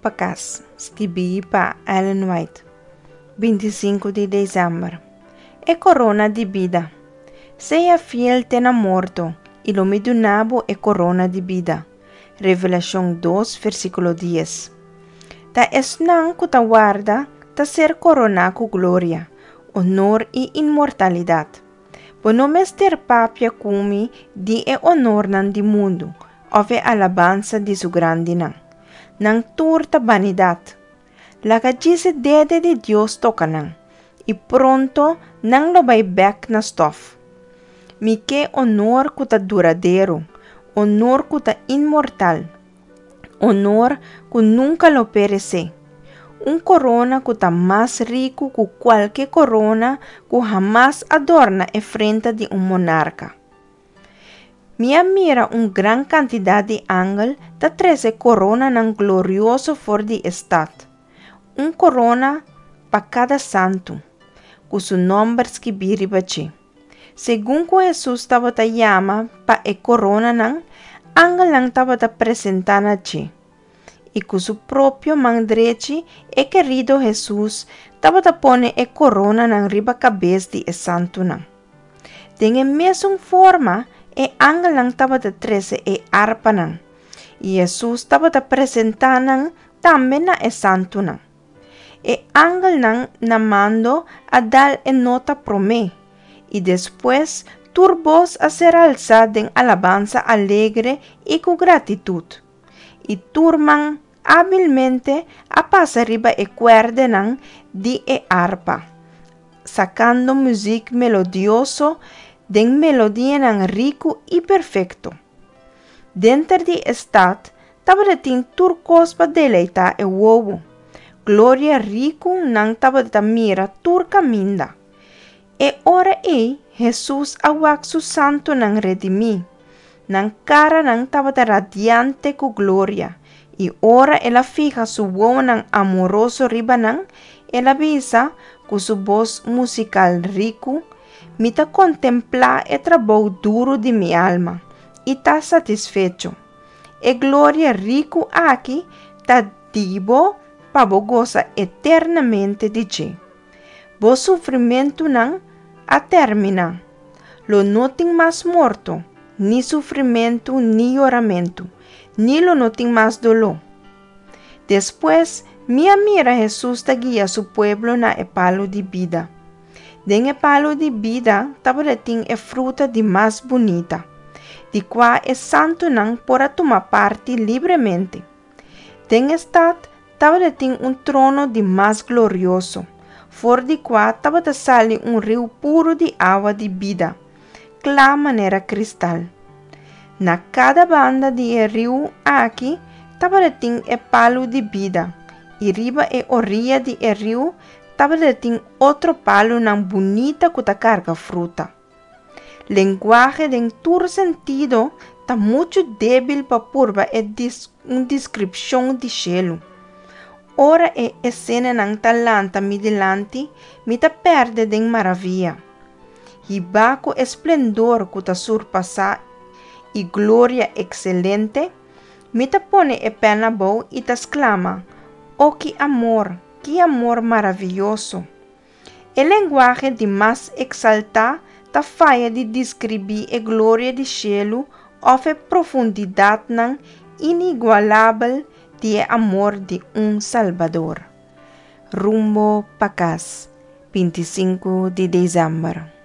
pa Kas, skibí pa Ellen White, 25 di desèmber. E korona di bida. Sea fiel te na morto, i lo mi duna bo e korona di bida. Revelashon 2, versíkulo 10. Ta esnan ku ta warda ta ser koroná ku gloria, honor i inmortalidat. Bo no mester papia ku mi di e honornan di mundu òf e alabansa di su grandinan. Nan tur ta banidat. Laga djis e dede di Dios toka nan, i pronto nan lo bai bèk na stòf. Mi ke honor ku ta duradero, honor ku ta inmortal, honor ku nunka lo peresé, un korona ku ta mas riku ku kualke korona ku hamas a dòrna e frenta di un monarka. Mi a mira un gran kantidat di angel ta trese koronanan glorioso for di e stat, un korona pa kada santu, ku su nòmber skibí riba dje. Segun ku Hesus tabata yama pa e koronanan, angelnan tabata presentá na dje. I ku su propio man drechi e kerido Hesus tabata pone e koronanan riba kabes di e santunan. Den e mesun forma e angelnan tabata trese e arpanan, i Hesus tabata presentá nan tambe na e santunan. E angelnan na mando a dal e nota promé, i despues tur bos a ser alsá den alabansa alegre i ku gratitut. I tur man ábilmente a pasa riba e kuèrdenan di e arpa, sakando muzik melodioso den melodianan riku i perfekto. Denter di e stat tabatin tur kos pa deleitá e wowo. Gloria riku nan tabata mira tur kaminda. E ora ei Hesus a wak su santunan redimí. Nan karanan tabata radiante ku gloria, i ora el a fiha su wowonan amoroso riba nan, el a bisa ku su bos musikal riku, Mi ta kontemplá e trabou duru di mi alma i ta satisfecho. E gloria riku aki ta di bo pa bo gosa eternamente di dje. Bo sufrimentunan a terminá. Lo no tin mas morto, ni sufrimentu ni yoramentu, ni lo no tin mas doló. Despues, mi a mira Hesus ta guia su pueblo na e palu di bida. Den e palu di bida tabatin e fruta di mas bunita, di kua e santunan por a tuma parti libremente. Den e stat tabatin un trono di mas glorioso, for di kua tabata sali un riu puru di awa di bida, kla manera kristal. Na kada banda di e riu aki tabatin e palu di bida, i riba e oriya di e riu tabatin otro palunan bunita ku ta karga fruta. Lenguahe den tur sentido ta muchu débil pa purba e un deskripshon di shelu. Ora e esenanan ta lanta mi dilanti, mi ta pèrdè den maravia. Hibá ku e splendor ku ta surpasá i gloria ekselente, mi ta pone e pèn abou i ta sklama, O ki amor, ki amor maravioso! E lenguahe di mas eksaltá ta faya di deskribí e gloria di shelu òf e profundidatnan inigualabel di e amor di un Salbador. Rumbo pa Kas, 25 di desèmber.